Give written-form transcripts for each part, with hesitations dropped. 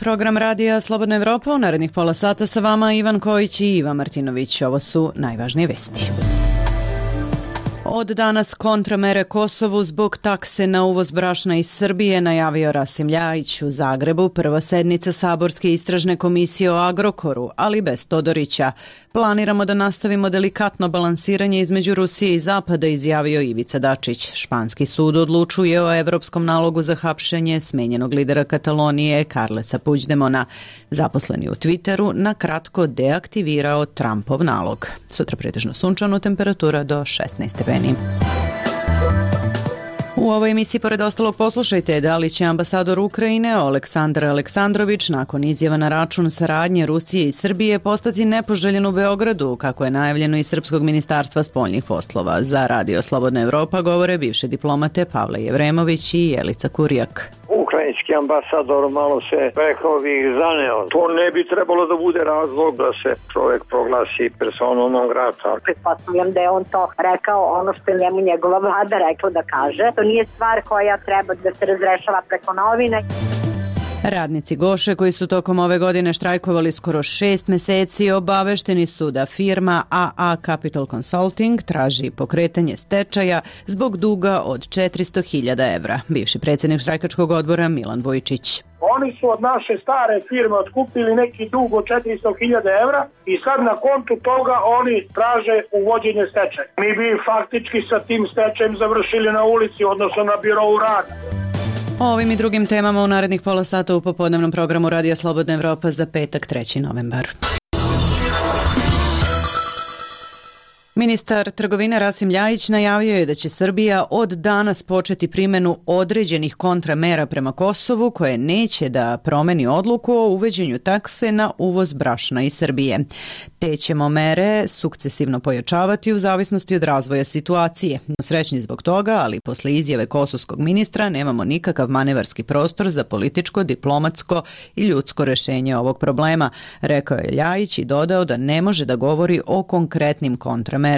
program radija Slobodna Evropa. U narednih pola sata sa vama Ivan Kojić i Iva Martinović. Ovo su najvažnije vesti. Od danas kontramere Kosovu zbog takse na uvoz brašna iz Srbije, najavio Rasim Ljajić. U Zagrebu prva sednica Saborske istražne komisije o Agrokoru, ali bez Todorića. Planiramo da nastavimo delikatno balansiranje između Rusije i Zapada, izjavio Ivica Dačić. Španski sud odlučuje o evropskom nalogu za hapšenje smenjenog lidera Katalonije Carlesa Puigdemona. Zaposleni u Twitteru na kratko deaktivirao Trumpov nalog. Sutra pretežno sunčano, temperatura do 16 stepeni. U ovoj emisiji pored ostalog poslušajte da li će ambasador Ukrajine Aleksandar Aleksandrović nakon izjava na račun saradnje Rusije i Srbije postati nepoželjen u Beogradu, kako je najavljeno iz Srpskog ministarstva spoljnih poslova. Za Radio Slobodna Evropa govore bivše diplomate Pavle Jevremović i Jelica Kurijak. Ukrajinski ambasador malo se, rekao bih, zaneo. To ne bi trebalo da bude razlog da se čovjek proglasi personom non grata. Pretpostavljam da je on to rekao ono što je njemu njegova vlada rekla da kaže. To nije stvar koja treba da se razrešava preko novine. Radnici Goše koji su tokom ove godine štrajkovali skoro 6 meseci obavešteni su da firma AA Capital Consulting traži pokretanje stečaja zbog duga od 400.000 evra. Bivši predsjednik štrajkačkog odbora Milan Vojčić. Oni su od naše stare firme otkupili neki dug od 400.000 evra i sad na kontu toga oni traže uvođenje stečaja. Mi bi faktički sa tim stečajem završili na ulici, odnosno na birovu rada. O ovim i drugim temama u narednih pola sata u popodnevnom programu Radija Slobodna Evropa za petak 3. novembar. Ministar trgovine Rasim Ljajić najavio je da će Srbija od danas početi primjenu određenih kontramera prema Kosovu koje neće da promeni odluku o uvođenju takse na uvoz brašna iz Srbije. Te ćemo mere sukcesivno pojačavati u zavisnosti od razvoja situacije. Srećni zbog toga, ali posle izjave kosovskog ministra nemamo nikakav manevarski prostor za političko, diplomatsko i ljudsko rešenje ovog problema, rekao je Ljajić i dodao da ne može da govori o konkretnim kontramerama.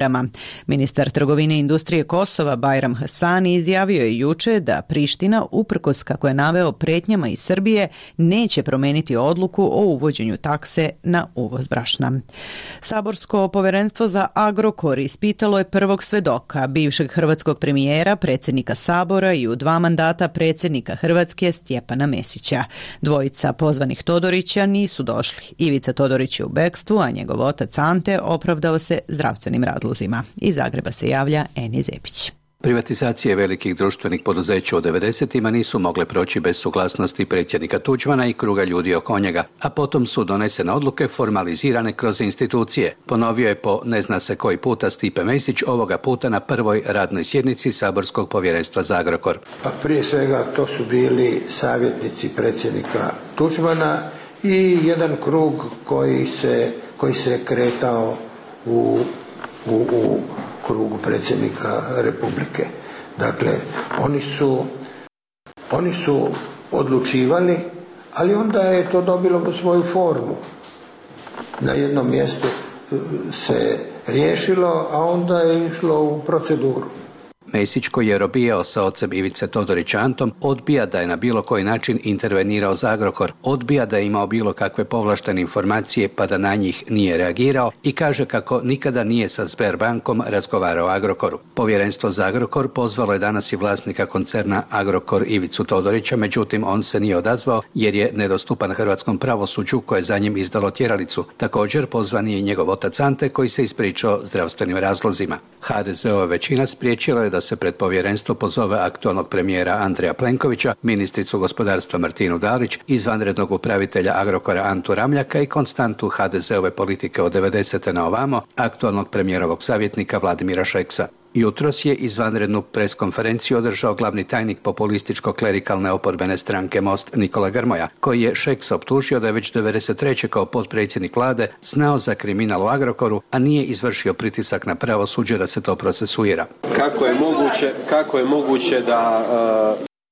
Ministar trgovine i industrije Kosova Bajram Hasani izjavio je juče da Priština, uprkos kako je naveo pretnjama iz Srbije, neće promeniti odluku o uvođenju takse na uvoz brašna. Saborsko povjerenstvo za Agrokor ispitalo je prvog svedoka, bivšeg hrvatskog premijera, predsjednika Sabora i u 2 mandata predsjednika Hrvatske Stjepana Mesića. Dvojica pozvanih Todorića nisu došli. Ivica Todorić je u bekstvu, a njegov otac Ante opravdao se zdravstvenim razlozima. Iz Zagreba se javlja Eni Zepić. Privatizacije velikih društvenih poduzeća u 90-ima nisu mogle proći bez suglasnosti predsjednika Tuđmana i kruga ljudi oko njega, a potom su donesene odluke formalizirane kroz institucije. Ponovio je po ne zna se koji puta Stipe Mesić, ovoga puta na prvoj radnoj sjednici Saborskog povjerenstva za Agrokor. Pa prije svega to su bili savjetnici predsjednika Tuđmana i jedan krug koji se kretao u krugu predsjednika Republike. Dakle, oni su odlučivali, ali onda je to dobilo svoju formu. Na jednom mjestu se riješilo, a onda je išlo u proceduru. Mesić, koji je robijao sa ocem Ivice Todorića Antom, odbija da je na bilo koji način intervenirao za Agrokor, odbija da je imao bilo kakve povlaštene informacije pa da na njih nije reagirao i kaže kako nikada nije sa Sberbankom razgovarao o Agrokoru. Povjerenstvo za Agrokor pozvalo je danas i vlasnika koncerna Agrokor Ivicu Todorića, međutim on se nije odazvao jer je nedostupan hrvatskom pravosuđu koje je za njim izdalo tjeralicu. Također pozvan je i njegov otac Ante koji se ispričao zdravstvenim razlozima. HDZ-ova većina spriječila je da se pred povjerenstvo pozove aktualnog premijera Andreja Plenkovića, ministricu gospodarstva Martinu Dalić, izvanrednog upravitelja Agrokora Antu Ramljaka i konstantu HDZ-ove politike od 90. na ovamo, aktualnog premijerovog savjetnika Vladimira Šeksa. Jutros je izvanrednu preskonferenciju održao glavni tajnik populističko-klerikalne oporbene stranke Most Nikola Grmoja, koji je Šeks optužio da je već 93. kao potpredsjednik vlade znao za kriminal u Agrokoru, a nije izvršio pritisak na pravosuđe da se to procesuira. Kako je moguće da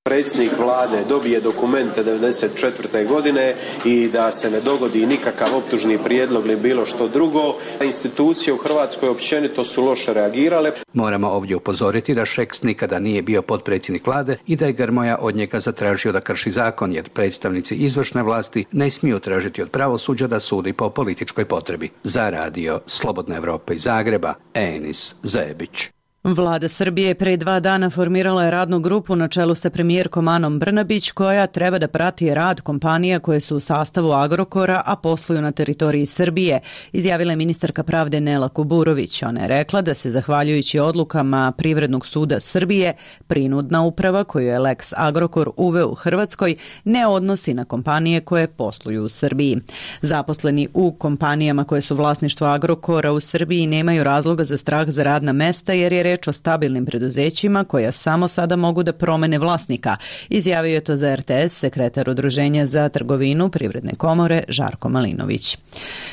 Predsjednik vlade dobije dokumente 1994. godine i da se ne dogodi nikakav optužni prijedlog ili bilo što drugo. Institucije u Hrvatskoj općenito su loše reagirale. Moramo ovdje upozoriti da Šeks nikada nije bio potpredsjednik vlade i da je Grmoja od njega zatražio da krši zakon, jer predstavnici izvršne vlasti ne smiju tražiti od pravosuđa da sudi po političkoj potrebi. Za radio Slobodna Evropa iz Zagreba, Enis Zebić. Vlada Srbije pre 2 dana formirala je radnu grupu na čelu sa premijerkom Anom Brnabić koja treba da prati rad kompanija koje su u sastavu Agrokora, a posluju na teritoriji Srbije, izjavila je ministarka pravde Nela Kuburović. Ona je rekla da se zahvaljujući odlukama Privrednog suda Srbije prinudna uprava koju je Lex Agrokor uveo u Hrvatskoj ne odnosi na kompanije koje posluju u Srbiji. Zaposleni u kompanijama koje su vlasništvo Agrokora u Srbiji nemaju razloga za strah za radna mesta jer je reč o stabilnim preduzećima koja samo sada mogu da promene vlasnika, izjavio je to za RTS sekretar Udruženja za trgovinu Privredne komore Žarko Malinović.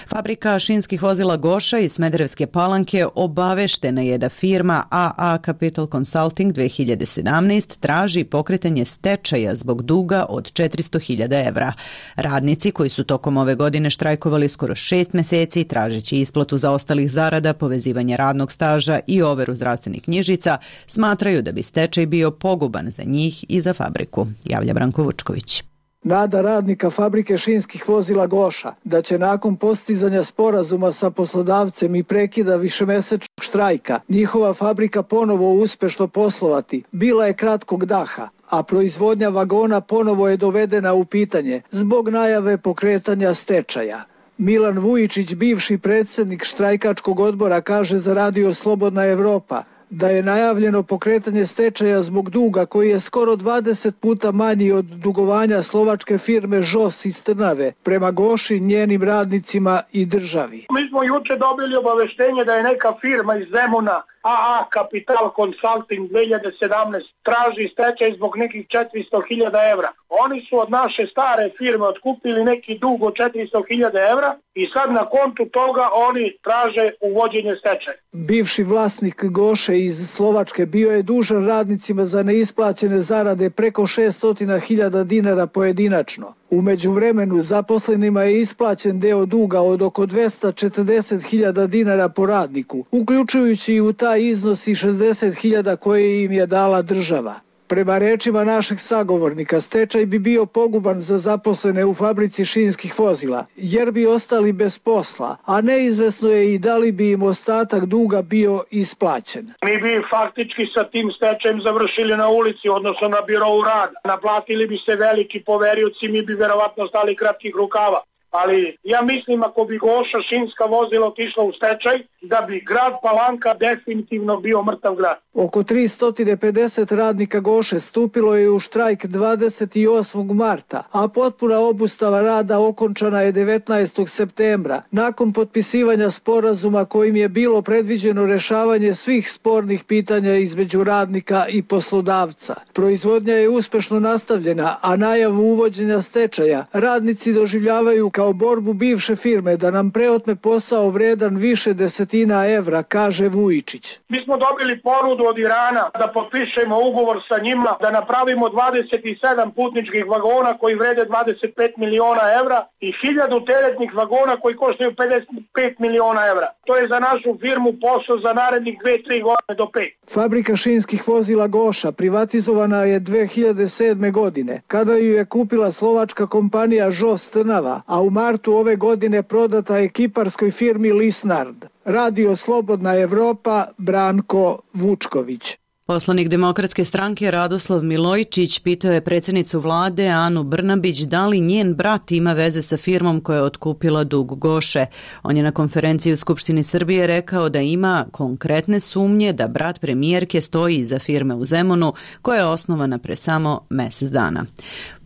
Fabrika šinskih vozila Goša iz Smederevske Palanke obaveštena je da firma AA Capital Consulting 2017 traži pokretanje stečaja zbog duga od 400.000 evra. Radnici koji su tokom ove godine štrajkovali skoro 6 meseci tražeći isplatu zaostalih zarada, povezivanje radnog staža i overu zdravstvenih knjižica, smatraju da bi stečaj bio poguban za njih i za fabriku, javlja Branko Vučković. Nada radnika fabrike šinskih vozila Goša da će nakon postizanja sporazuma sa poslodavcem i prekida višemesečnog štrajka njihova fabrika ponovo uspešno poslovati bila je kratkog daha, a proizvodnja vagona ponovo je dovedena u pitanje zbog najave pokretanja stečaja. Milan Vujičić, bivši predsjednik štrajkačkog odbora, kaže za radio Slobodna Evropa da je najavljeno pokretanje stečaja zbog duga koji je skoro 20 puta manji od dugovanja slovačke firme ŽOS iz Trnave prema Goši, njenim radnicima i državi. Mi smo juče dobili obaveštenje da je neka firma iz Zemuna, AA Capital Consulting 2017, traži stečaj zbog nekih 400.000 evra. Oni su od naše stare firme otkupili neki dug od 400.000 evra i sad na kontu toga oni traže uvođenje stečaja. Bivši vlasnik Goše iz Slovačke bio je dužan radnicima za neisplaćene zarade preko 600.000 dinara pojedinačno. U međuvremenu zaposlenima je isplaćen deo duga od oko 240.000 dinara po radniku, uključujući i u taj iznos i 60.000 koje im je dala država. Prema rečima našeg sagovornika, stečaj bi bio poguban za zaposlene u fabrici šinskih vozila, jer bi ostali bez posla, a neizvesno je i da li bi im ostatak duga bio isplaćen. Mi bi faktički sa tim stečajem završili na ulici, odnosno na birou rada. Naplatili bi se veliki poverioci, mi bi verovatno stali kratkih rukava. Ali ja mislim ako bi Goša šinska vozila otišla u stečaj, da bi grad Palanka definitivno bio mrtav grad. Oko 350 radnika Goše stupilo je u štrajk 28. marta, a potpuna obustava rada okončana je 19. septembra, nakon potpisivanja sporazuma kojim je bilo predviđeno rešavanje svih spornih pitanja između radnika i poslodavca. Proizvodnja je uspešno nastavljena, a najavu uvođenja stečaja radnici doživljavaju kao borbu bivše firme da nam preotme posao vredan više desetina evra, kaže Vujičić. Mi smo dobili ponudu od Irana da potpišemo ugovor sa njima, da napravimo 27 putničkih vagona koji vrede 25 miliona evra i 1000 teretnih vagona koji koštaju 55 miliona evra. To je za našu firmu posao za narednih 2-3 godine do 5. Fabrika šinskih vozila Goša privatizovana je 2007. godine, kada ju je kupila slovačka kompanija ŽOS Trnava, a u martu ove godine prodata je kiparskoj firmi Lisnard. Radio Slobodna Evropa, Branko Vučković. Poslanik Demokratske stranke Radoslav Milojčić pitao je predsjednicu vlade Anu Brnabić da li njen brat ima veze sa firmom koja je otkupila dug Goše. On je na konferenciji u Skupštini Srbije rekao da ima konkretne sumnje da brat premijerke stoji iza firme u Zemunu koja je osnovana pre samo mesec dana.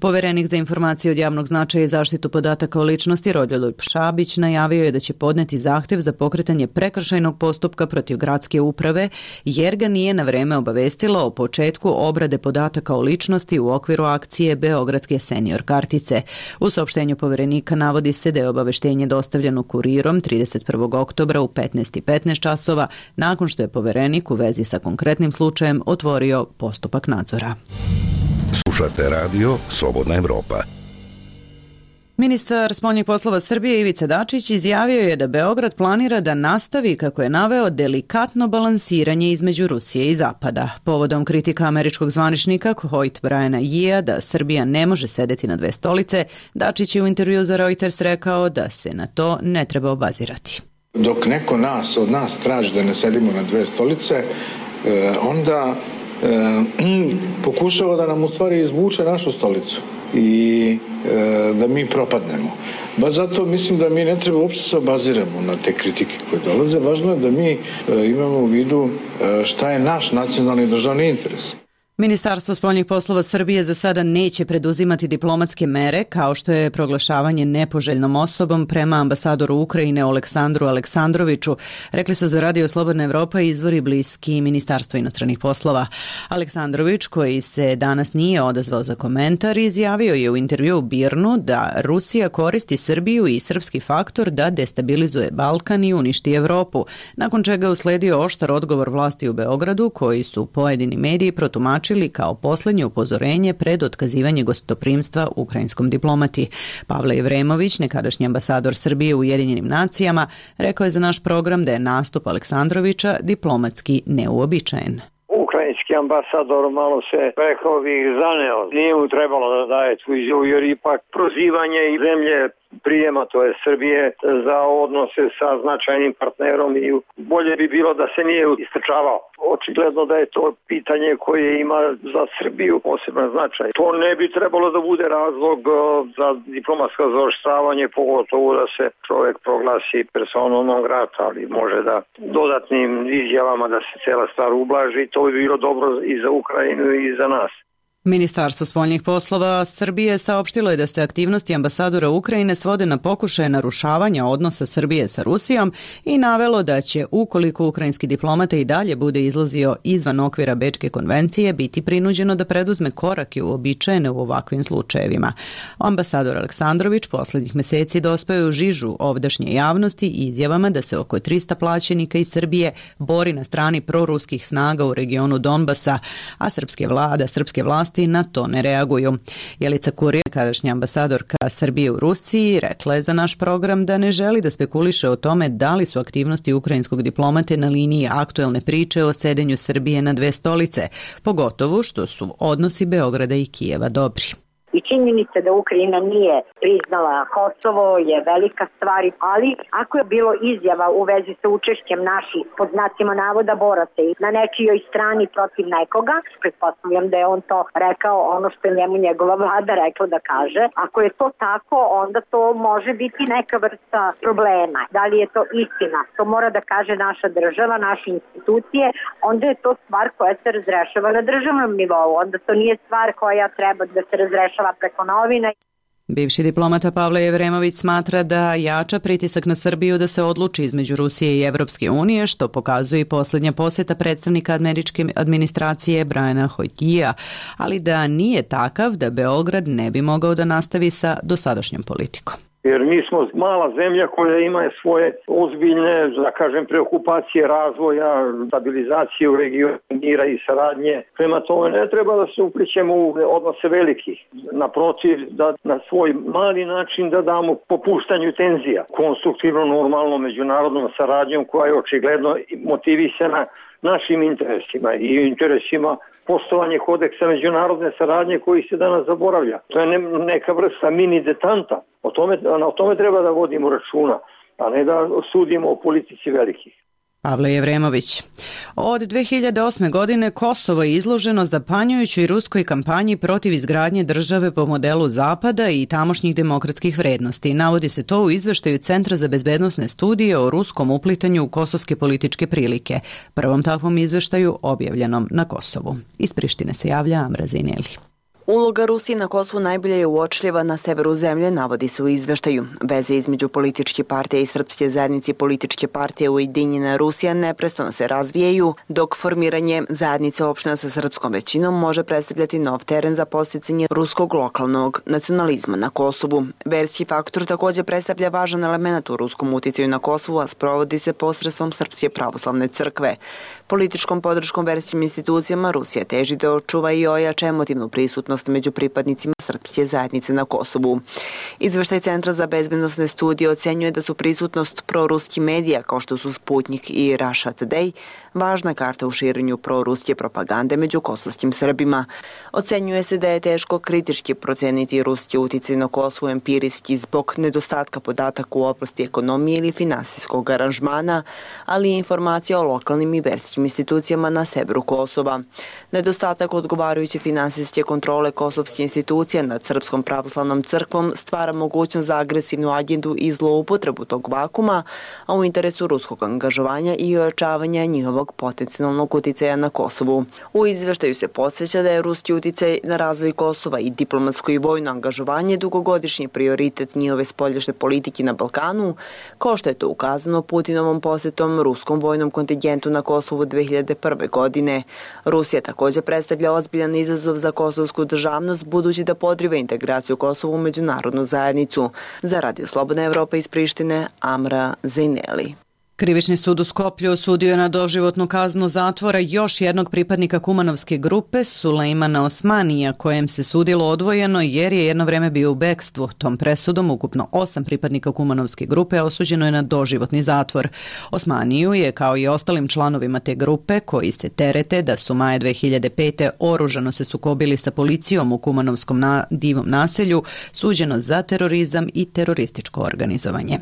Poverenik za informacije od javnog značaja i zaštitu podataka o ličnosti Rodoljub Šabić najavio je da će podneti zahtev za pokretanje prekršajnog postupka protiv gradske uprave jer ga nije na vreme obavestila o početku obrade podataka o ličnosti u okviru akcije Beogradske senior kartice. U saopštenju poverenika navodi se da je obaveštenje dostavljeno kurirom 31. oktobra u 15:15 časova nakon što je poverenik u vezi sa konkretnim slučajem otvorio postupak nadzora. Slušate radio Slobodna Evropa. Ministar spoljnih poslova Srbije Ivica Dačić izjavio je da Beograd planira da nastavi, kako je naveo, delikatno balansiranje između Rusije i Zapada. Povodom kritika američkog zvaničnika Hoyt Briana Yea da Srbija ne može sedeti na dve stolice, Dačić je u intervju za Reuters rekao da se na to ne treba obazirati. Dok neko od nas traži da ne sedimo na dve stolice, onda pokušava da nam u stvari izvuče našu stolicu i da mi propadnemo. Baš zato mislim da mi ne treba uopšte se obaziramo na te kritike koje dolaze. Važno je da mi imamo u vidu šta je naš nacionalni državni interes. Ministarstvo spoljnih poslova Srbije za sada neće preduzimati diplomatske mere, kao što je proglašavanje nepoželjnom osobom prema ambasadoru Ukrajine Oleksandru Aleksandroviću, rekli su za Radio Slobodna Evropa izvori bliski Ministarstvu inostranih poslova. Aleksandrović, koji se danas nije odazvao za komentar, izjavio je u intervju u Birnu da Rusija koristi Srbiju i srpski faktor da destabilizuje Balkan i uništi Evropu, nakon čega je usledio oštar odgovor vlasti u Beogradu, koji su pojedini mediji protumačili kao poslednje upozorenje pred otkazivanje gostoprimstva ukrajinskom diplomati. Pavle Jevremović, nekadašnji ambasador Srbije u Ujedinjenim nacijama, rekao je za naš program da je nastup Aleksandrovića diplomatski neuobičajen. Ukrajinski ambasador malo se, rekao bih, zaneo. Nije mu trebalo da daje tu izjavu, jer ipak prozivanje i zemlje prijema, to je Srbije, za odnose sa značajnim partnerom i bolje bi bilo da se nije istrčavao. Očigledno da je to pitanje koje ima za Srbiju poseban značaj. To ne bi trebalo da bude razlog za diplomatsko zaoštravanje, pogotovo da se čovjek proglasi personom non grata, ali može da dodatnim izjavama da se cela stvar ublaži. To bi bilo dobro i za Ukrajinu i za nas. Ministarstvo spoljnih poslova Srbije saopštilo je da se aktivnosti ambasadora Ukrajine svode na pokušaje narušavanja odnosa Srbije sa Rusijom i navelo da će, ukoliko ukrajinski diplomata i dalje bude izlazio izvan okvira Bečke konvencije, biti prinuđeno da preduzme korake uobičajene u ovakvim slučajevima. Ambasador Aleksandrović poslednjih meseci dospeo je u žižu ovdašnje javnosti izjavama da se oko 300 plaćenika iz Srbije bori na strani proruskih snaga u regionu Donbasa, a srpske vlasti na to ne reaguju. Jelica Kurir, kadašnja ambasadorka Srbije u Rusiji, rekla je za naš program da ne želi da spekuliše o tome da li su aktivnosti ukrajinskog diplomate na liniji aktuelne priče o sedenju Srbije na dve stolice, pogotovo što su odnosi Beograda i Kijeva dobri. I činjenica da Ukrajina nije priznala Kosovo je velika stvar, ali ako je bilo izjava u vezi sa učešćem naših, pod znacima navoda, boraca na nečijoj strani protiv nekoga, pretpostavljam da je on to rekao ono što je njemu njegova vlada rekla da kaže. Ako je to tako, onda to može biti neka vrsta problema. Da li je to istina? To mora da kaže naša država, naše institucije, onda je to stvar koja se razrešava na državnom nivou. Onda to nije stvar koja treba da se razrešava preko novina. Bivši diplomata Pavle Jevremović smatra da jača pritisak na Srbiju da se odluči između Rusije i Evropske unije, što pokazuje i posljednja posjeta predstavnika američke administracije Briana Hoyt-Yea, ali da nije takav da Beograd ne bi mogao da nastavi sa dosadašnjom politikom. Jer mi smo mala zemlja koja ima svoje ozbiljne, da kažem, preokupacije razvoja, stabilizacije u regionu, mira i saradnje. Prema tome ne treba da se uplićemo u odnose velikih. Naprotiv, da na svoj mali način da damo popuštanju tenzija. Konstruktivno, normalno, međunarodnom saradnjom koja je očigledno motivisana našim interesima i interesima poštovanje kodeksa međunarodne saradnje koji se danas zaboravlja. To je neka vrsta mini detanta. O tome treba da vodimo računa, a ne da sudimo o politici velikih. Pavle Jevremović. Od 2008. godine Kosovo je izloženo zapanjujućoj ruskoj kampanji protiv izgradnje države po modelu Zapada i tamošnjih demokratskih vrednosti. Navodi se to u izveštaju Centra za bezbednosne studije o ruskom uplitanju u kosovske političke prilike, prvom takvom izveštaju objavljenom na Kosovu. Iz Prištine se javlja Amra Zineli. Uloga Rusije na Kosovu najbolje je uočljiva na severu zemlje, navodi se u izveštaju. Veze između političke partije i srpske zajednice političke partije Ujedinjena Rusija neprestano se razvijaju, dok formiranje zajednice opština sa srpskom većinom može predstavljati nov teren za posticanje ruskog lokalnog nacionalizma na Kosovu. Verski faktor također predstavlja važan element u ruskom uticaju na Kosovu, a sprovodi se posredstvom Srpske pravoslavne crkve. Političkom podrškom verskim institucijama Rusija teži da očuva i ojača emotivnu prisutnost raspoloženost među pripadnicima srpske zajednice na Kosovu. Izveštaj Centra za bezbednosne studije ocenjuje da su prisutnost proruskih medija kao što su Sputnik i Russia Today važna karta u širenju proruske propagande među kosovskim Srbima. Ocenjuje se da je teško kritički proceniti ruski uticaj na Kosovo empirijski zbog nedostatka podataka u oblasti ekonomije ili finansijskog aranžmana, ali i informacija o lokalnim i verskim institucijama na severu Kosova. Nedostatak odgovarajuće finansijske kontrole kosovske institucije nad Srpskom pravoslavnom crkvom stvara mogućnost za agresivnu agendu i zloupotrebu tog vakuma, a u interesu ruskog angažovanja i ojačavanja njihovog potencijalnog uticaja na Kosovu. U izveštaju se podsjeća da je ruski uticaj na razvoj Kosova i diplomatsko i vojno angažovanje dugogodišnji prioritet njihove spoljašnje politike na Balkanu, kao što je to ukazano Putinovom posjetom ruskom vojnom kontingentu na Kosovu 2001. godine. Rusija također predstavlja ozbiljan izazov za kosovsku državnost budući da podriva integraciju Kosova u međunarodnu zajednicu. Za Radio Slobodna Evropa iz Prištine, Amra Zejneli. Krivični sud u Skoplju osudio je na doživotnu kaznu zatvora još jednog pripadnika Kumanovske grupe, Sulejmana Osmanija, kojem se sudilo odvojeno jer je jedno vreme bio u bekstvu. Tom presudom ukupno 8 pripadnika Kumanovske grupe osuđeno je na doživotni zatvor. Osmaniju je, kao i ostalim članovima te grupe, koji se terete da su maja 2005. oružano se sukobili sa policijom u Kumanovskom divom naselju, suđeno za terorizam i terorističko organizovanje.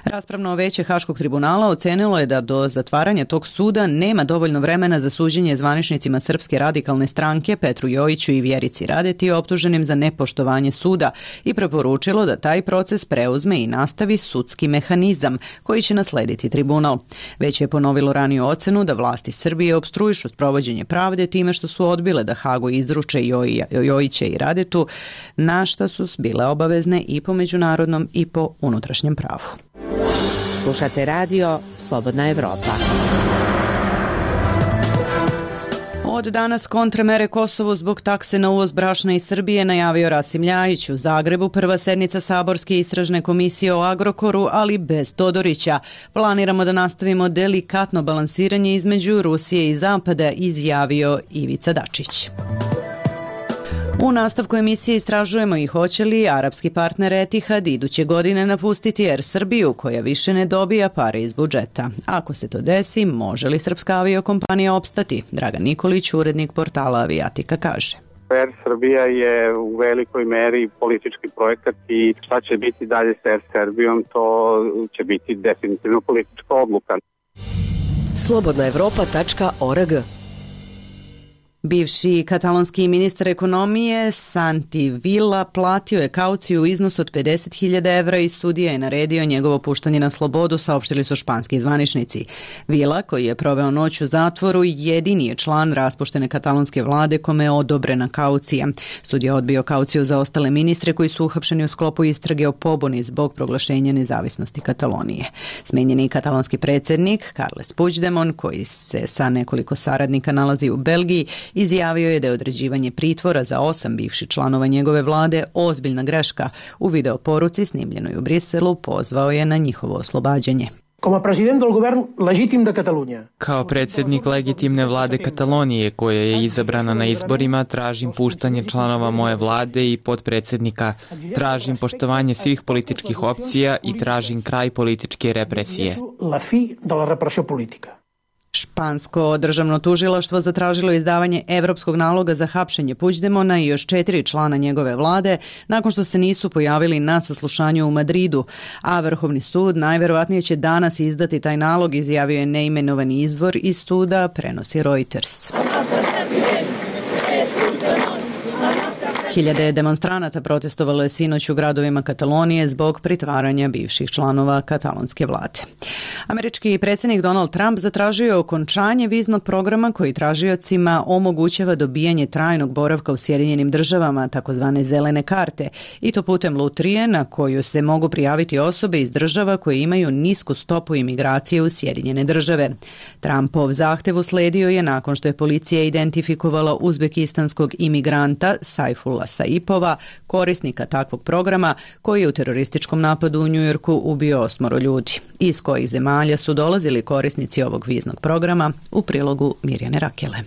Raspravno veće Haškog tribunala ocenilo je da do zatvaranja tog suda nema dovoljno vremena za suđenje zvaničnicima Srpske radikalne stranke Petru Jojiću i Vjerici Radeti optuženim za nepoštovanje suda i preporučilo da taj proces preuzme i nastavi sudski mehanizam koji će naslediti tribunal. Već je ponovilo raniju ocenu da vlasti Srbije opstruišu sprovođenje pravde time što su odbile da Hagu izruče Jojića i Radetu, na šta su bile obavezne i po međunarodnom i po unutrašnjem pravu. Slušate radio Slobodna Evropa. Od danas kontremere Kosovu zbog takse na uvoz brašna iz Srbije najavio Rasim Ljajić. U Zagrebu prva sednica Saborske istražne komisije o Agrokoru, ali bez Todorića. Planiramo da nastavimo delikatno balansiranje između Rusije i Zapada, izjavio Ivica Dačić. U nastavku emisije istražujemo i hoće li arapski partner Etihad iduće godine napustiti Air Srbiju, koja više ne dobija pare iz budžeta. Ako se to desi, može li srpska aviokompanija opstati? Dragan Nikolić, urednik portala Avijatika, kaže. Air Srbija je u velikoj meri politički projekat i šta će biti dalje s Air Srbijom, to će biti definitivno politička odluka. Slobodnaevropa.org. Bivši katalonski ministar ekonomije Santi Vila platio je kauciju u iznosu od 50.000 evra i sudija je naredio njegovo puštanje na slobodu, saopštili su španski zvaničnici. Vila, koji je proveo noć u zatvoru, jedini je član raspuštene katalonske vlade kome je odobrena kaucija. Sudija odbio kauciju za ostale ministre koji su uhapšeni u sklopu istrage o pobuni zbog proglašenja nezavisnosti Katalonije. Smenjeni katalonski predsjednik Carles Puigdemont, koji se sa nekoliko saradnika nalazi u Belgiji, izjavio je da je određivanje pritvora za 8 bivših članova njegove vlade ozbiljna greška. U videoporuci snimljenoj u Briselu pozvao je na njihovo oslobađanje. Kao predsjednik legitimne vlade Katalonije, koja je izabrana na izborima, tražim puštanje članova moje vlade i potpredsjednika. Tražim poštovanje svih političkih opcija i tražim kraj političke represije. Špansko državno tužilaštvo zatražilo izdavanje evropskog naloga za hapšenje Puigdemona i još 4 člana njegove vlade nakon što se nisu pojavili na saslušanju u Madridu, a Vrhovni sud najverovatnije će danas izdati taj nalog, izjavio je neimenovani izvor iz suda, prenosi Reuters. Hiljade demonstranata protestovalo je sinoć u gradovima Katalonije zbog pritvaranja bivših članova katalonske vlade. Američki predsjednik Donald Trump zatražio je okončanje viznog programa koji tražiocima omogućava dobijanje trajnog boravka u Sjedinjenim državama, takozvane zelene karte, i to putem lutrije na koju se mogu prijaviti osobe iz država koje imaju nisku stopu imigracije u Sjedinjene države. Trumpov zahtev usledio je nakon što je policija identifikovala uzbekistanskog imigranta Saifullah Saipova, korisnika takvog programa, koji je u terorističkom napadu u Njujorku ubio 8 ljudi. Iz kojih zemalja su dolazili korisnici ovog viznog programa, u prilogu Mirjane Rakele.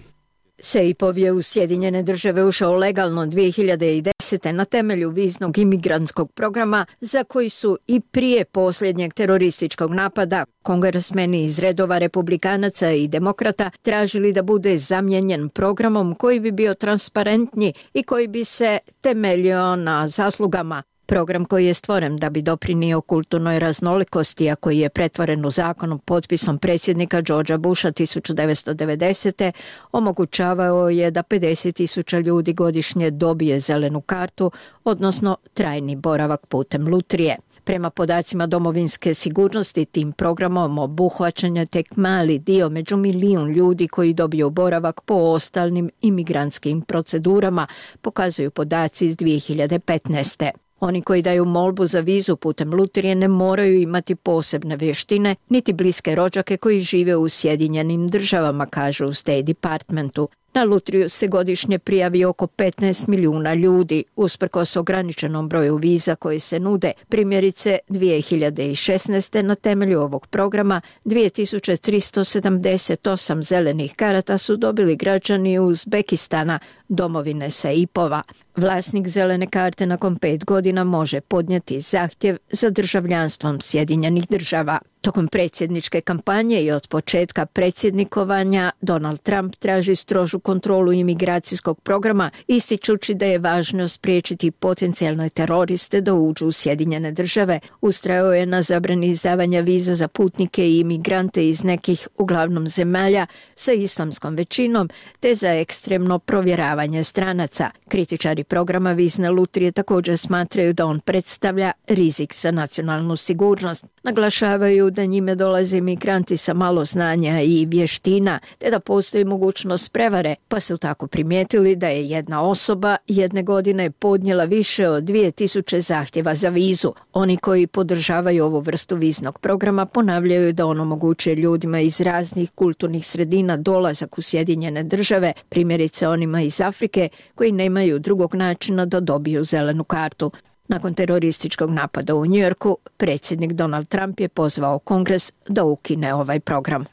SEIPov je u Sjedinjene države ušao legalno 2010. na temelju viznog imigrantskog programa za koji su i prije posljednjeg terorističkog napada kongresmeni iz redova republikanaca i demokrata tražili da bude zamijenjen programom koji bi bio transparentniji i koji bi se temeljio na zaslugama. Program koji je stvoren da bi doprinio kulturnoj raznolikosti, a koji je pretvoren u zakon potpisom predsjednika Georgea Busha 1990. omogućavao je da 50.000 ljudi godišnje dobije zelenu kartu, odnosno trajni boravak putem lutrije. Prema podacima domovinske sigurnosti, tim programom obuhvaćen je tek mali dio među 1 milijun ljudi koji dobiju boravak po ostalim imigrantskim procedurama, pokazuju podaci iz 2015. Oni koji daju molbu za vizu putem lutrije ne moraju imati posebne vještine, niti bliske rođake koji žive u Sjedinjenim državama, kažu u State Departmentu. Na lutriju se godišnje prijavi oko 15 milijuna ljudi, usprkos ograničenom broju viza koje se nude. Primjerice, 2016. na temelju ovog programa 2378 zelenih karata su dobili građani Uzbekistana, domovine SEIPova. Vlasnik zelene karte nakon 5 godina može podnijeti zahtjev za državljanstvom Sjedinjenih država. Tokom predsjedničke kampanje i od početka predsjednikovanja Donald Trump traži strožu kontrolu imigracijskog programa, ističući da je važno spriječiti potencijalne teroriste da uđu u Sjedinjene države. Ustrajao je na zabrani izdavanja viza za putnike i imigrante iz nekih uglavnom zemalja sa islamskom većinom, te za ekstremno provjeravanje stranaca. Kritičari programa vizne lutrije također smatraju da on predstavlja rizik za nacionalnu sigurnost. Naglašavaju da njime dolaze imigranti sa malo znanja i vještina, te da postoji mogućnost prevare, pa su tako primijetili da je jedna osoba jedne godine podnijela više od 2000 zahtjeva za vizu. Oni koji podržavaju ovu vrstu viznog programa ponavljaju da on omogućuje ljudima iz raznih kulturnih sredina dolazak u Sjedinjene države, primjerice onima iz Afrike koji nemaju drugog načina da dobiju zelenu kartu. Nakon terorističkog napada u Njujorku, predsjednik Donald Trump je pozvao Kongres da ukine ovaj program.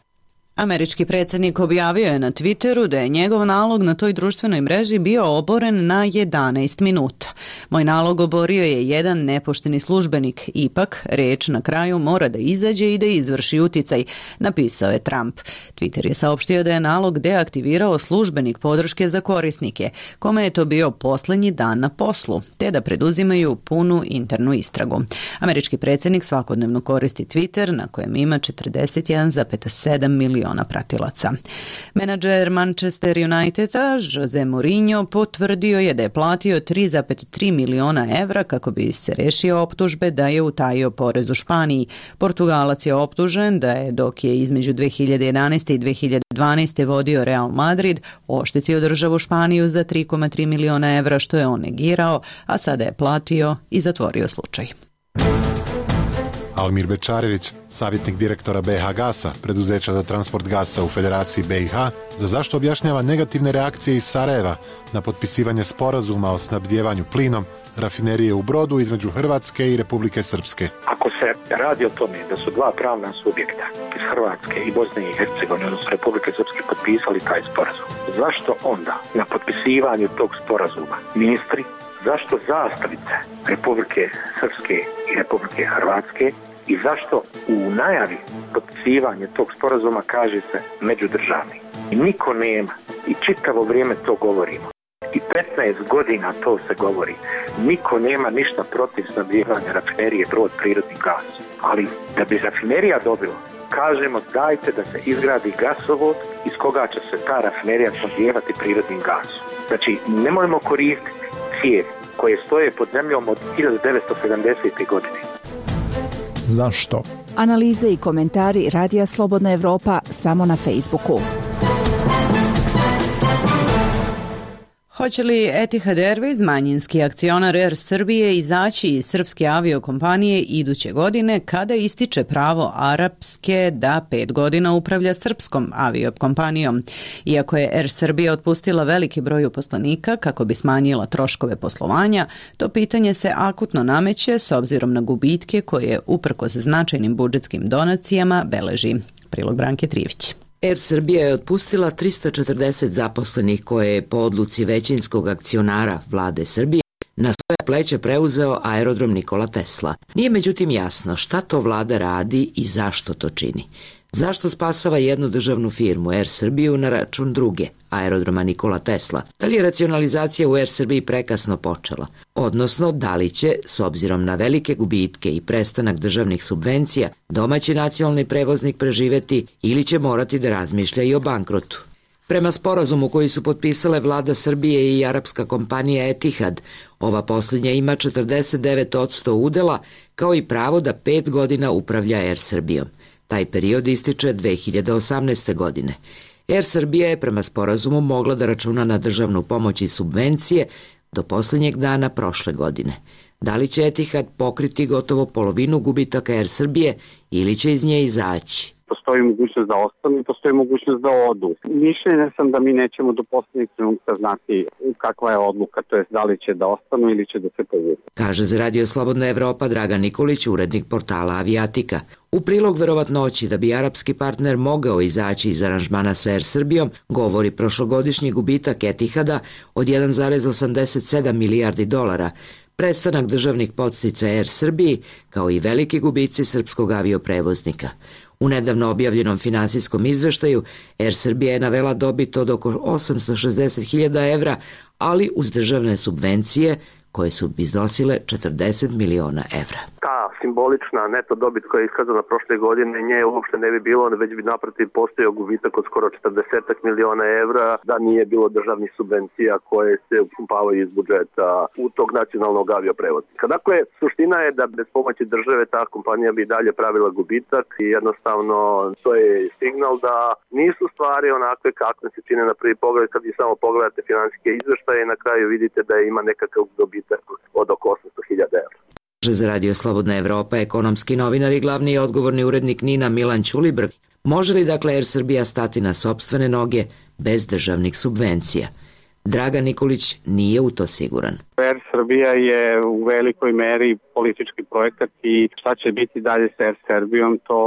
Američki predsjednik objavio je na Twitteru da je njegov nalog na toj društvenoj mreži bio oboren na 11 minuta. Moj nalog oborio je jedan nepošteni službenik, ipak reč na kraju mora da izađe i da izvrši uticaj, napisao je Trump. Twitter je saopštio da je nalog deaktivirao službenik podrške za korisnike, kome je to bio posljednji dan na poslu, te da preduzimaju punu internu istragu. Američki predsjednik svakodnevno koristi Twitter, na kojem ima 41,7 miliona pratilaca. Menadžer Manchester Uniteda Jose Mourinho potvrdio je da je platio 3,3 miliona evra kako bi se rešio optužbe da je utajio porez u Španiji. Portugalac je optužen da je, dok je između 2011. i 2012. vodio Real Madrid, oštetio državu Španiju za 3,3 miliona evra, što je on negirao, a sada je platio i zatvorio slučaj. Almir Bečarević, savjetnik direktora BiH Gasa, preduzeća za transport gasa u Federaciji BiH, za zašto objašnjava negativne reakcije iz Sarajeva na potpisivanje sporazuma o snabdjevanju plinom rafinerije u Brodu između Hrvatske i Republike Srpske. Ako se radi o tome da su dva pravna subjekta iz Hrvatske i Bosne i Hercegovine, odnosno Republike Srpske, potpisali taj sporazum, zašto onda na potpisivanju tog sporazuma ministri, zašto zastavice Republike Srpske i Republike Hrvatske i zašto u najavi potpisivanja tog sporazuma kaže se međudržavni? I niko nema, i čitavo vrijeme to govorimo, i 15 godina to se govori, niko nema ništa protiv snabdijevanja rafinerije Brod prirodnim gasom. Ali da bi rafinerija dobila, kažemo dajte da se izgradi gasovod iz koga će se ta rafinerija snabdijevati prirodnim gasom. Znači, nemojmo koristiti cijevi koje stoje pod zemljom od 1970. godine. Zašto? Analize i komentari Radija Slobodna Evropa samo na Facebooku. Hoće li Etihad Airways, manjinski akcionar Air Srbije, izaći iz srpske aviokompanije iduće godine kada ističe pravo arapske da 5 godina upravlja srpskom aviokompanijom? Iako je Air Srbija otpustila veliki broj uposlenika kako bi smanjila troškove poslovanja, to pitanje se akutno nameće s obzirom na gubitke koje uprkos značajnim budžetskim donacijama beleži. Prilog Branke Trivić. Air Srbija je otpustila 340 zaposlenih koje je po odluci većinskog akcionara vlade Srbije na svoje pleće preuzeo aerodrom Nikola Tesla. Nije međutim jasno šta to vlada radi i zašto to čini. Zašto spasava jednu državnu firmu Air Srbiju na račun druge, aerodroma Nikola Tesla? Da li je racionalizacija u Air Srbiji prekasno počela? Odnosno, da li će, s obzirom na velike gubitke i prestanak državnih subvencija, domaći nacionalni prevoznik preživeti ili će morati da razmišlja i o bankrotu? Prema sporazumu koji su potpisale vlada Srbije i arapska kompanija Etihad, ova posljednja ima 49% udela kao i pravo da 5 godina upravlja Air Srbijom. Taj period ističe 2018. godine. Air Srbija je prema sporazumu mogla da računa na državnu pomoć i subvencije do posljednjeg dana prošle godine. Da li će Etihad pokriti gotovo polovinu gubitaka Air Srbije ili će iz nje izaći? Postoji mogućnost da ostanu i postoji mogućnost da odu. Mišljenja sam da mi nećemo do posljednjeg trenutka znati kakva je odluka, to je da li će da ostanu ili će da se povuku. Kaže za Radio Slobodna Evropa Dragan Nikolić, urednik portala Avijatika. U prilog verovatnoći da bi arapski partner mogao izaći iz aranžmana sa Air Srbijom, govori prošlogodišnji gubitak Etihada od 1,87 milijardi dolara, prestanak državnih podsticaja Air Srbiji, kao i veliki gubici srpskog avioprevoznika. U nedavno objavljenom finansijskom izveštaju Air Srbija je navela dobit od oko 860.000 evra, ali uz državne subvencije koje su iznosile 40 miliona evra. Ta simbolična neto dobit koja je iskazana prošle godine, nje uopšte ne bi bilo, već bi naprotiv postojao gubitak od skoro 40 miliona evra da nije bilo državnih subvencija koje se upumpavaju iz budžeta u tog nacionalnog avioprevoznika. Dakle, suština je da bez pomoći države ta kompanija bi dalje pravila gubitak i jednostavno to je signal da nisu stvari onakve kakve se čine na prvi pogled. Kad vi samo pogledate finansijske izveštaje i na kraju vidite da ima nekakav dobitak od oko 800.000 evra. Za Radio Slobodna Evropa ekonomski novinar i glavni odgovorni urednik NIN-a Milan Ćulibrk. Može li dakle Air Srbija stati na sopstvene noge bez državnih subvencija? Dragan Nikolić nije u to siguran. Air Srbija je u velikoj meri politički projekat i šta će biti dalje sa Air Srbijom, to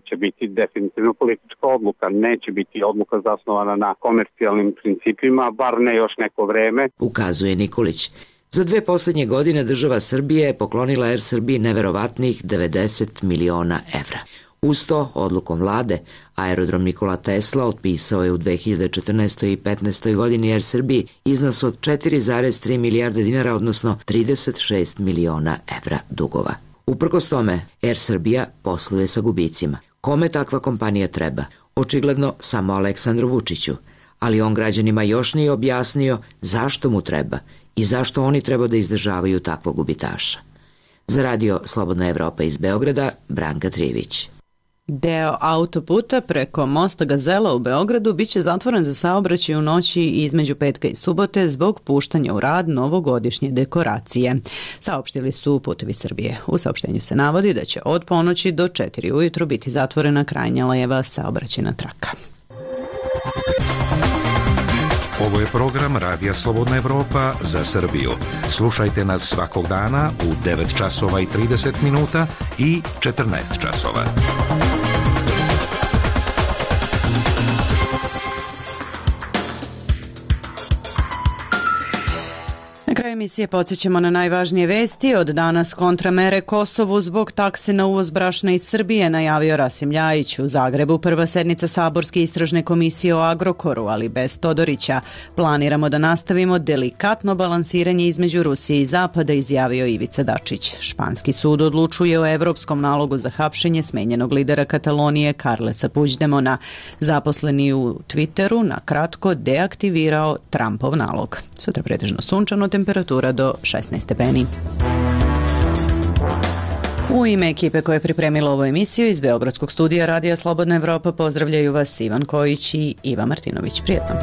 će biti definitivno politička odluka. Neće biti odluka zasnovana na komercijalnim principima, bar ne još neko vreme. Ukazuje Nikolić. Za 2 posljednje godine država Srbije je poklonila Air Srbiji neverovatnih 90 miliona evra. Uz to, odlukom vlade, aerodrom Nikola Tesla otpisao je u 2014. i 2015. godini Air Srbiji iznos od 4,3 milijarde dinara, odnosno 36 miliona evra dugova. Uprkos tome, Air Srbija posluje sa gubicima. Kome takva kompanija treba? Očigledno samo Aleksandru Vučiću. Ali on građanima još nije objasnio zašto mu treba i zašto oni treba da izdržavaju takvog gubitaša. Za Radio Slobodna Evropa iz Beograda, Branka Trivić. Deo autoputa preko mosta Gazela u Beogradu biće zatvoren za saobraćaj u noći između petka i subote zbog puštanja u rad novogodišnje dekoracije. Saopštili su Putevi Srbije. U saopštenju se navodi da će od ponoći do 4 ujutru biti zatvorena krajnja leva saobraćajna traka. Ovo je program Radija Slobodna Evropa za Srbiju. Slušajte nas svakog dana u 9 časova i 30 minuta i 14 časova. Na kraju emisije podsjećamo na najvažnije vesti. Od danas kontramere Kosovu zbog takse na uvoz brašna iz Srbije, najavio Rasim Ljajić. U Zagrebu prva sednica Saborske istražne komisije o Agrokoru, ali bez Todorića. Planiramo da nastavimo delikatno balansiranje između Rusije i Zapada, izjavio Ivica Dačić. Španski sud odlučuje o evropskom nalogu za hapšenje smenjenog lidera Katalonije Carlesa Puigdemona. Zaposleni u Twitteru na kratko deaktivirao Trumpov nalog. Sutra pretežno sunčano, temperatura do 16 stepeni. U ime ekipe koja je pripremila ovu emisiju iz Beogradskog studija Radija Slobodna Evropa pozdravljaju vas Ivan Kojić i Iva Martinović. Prijetno.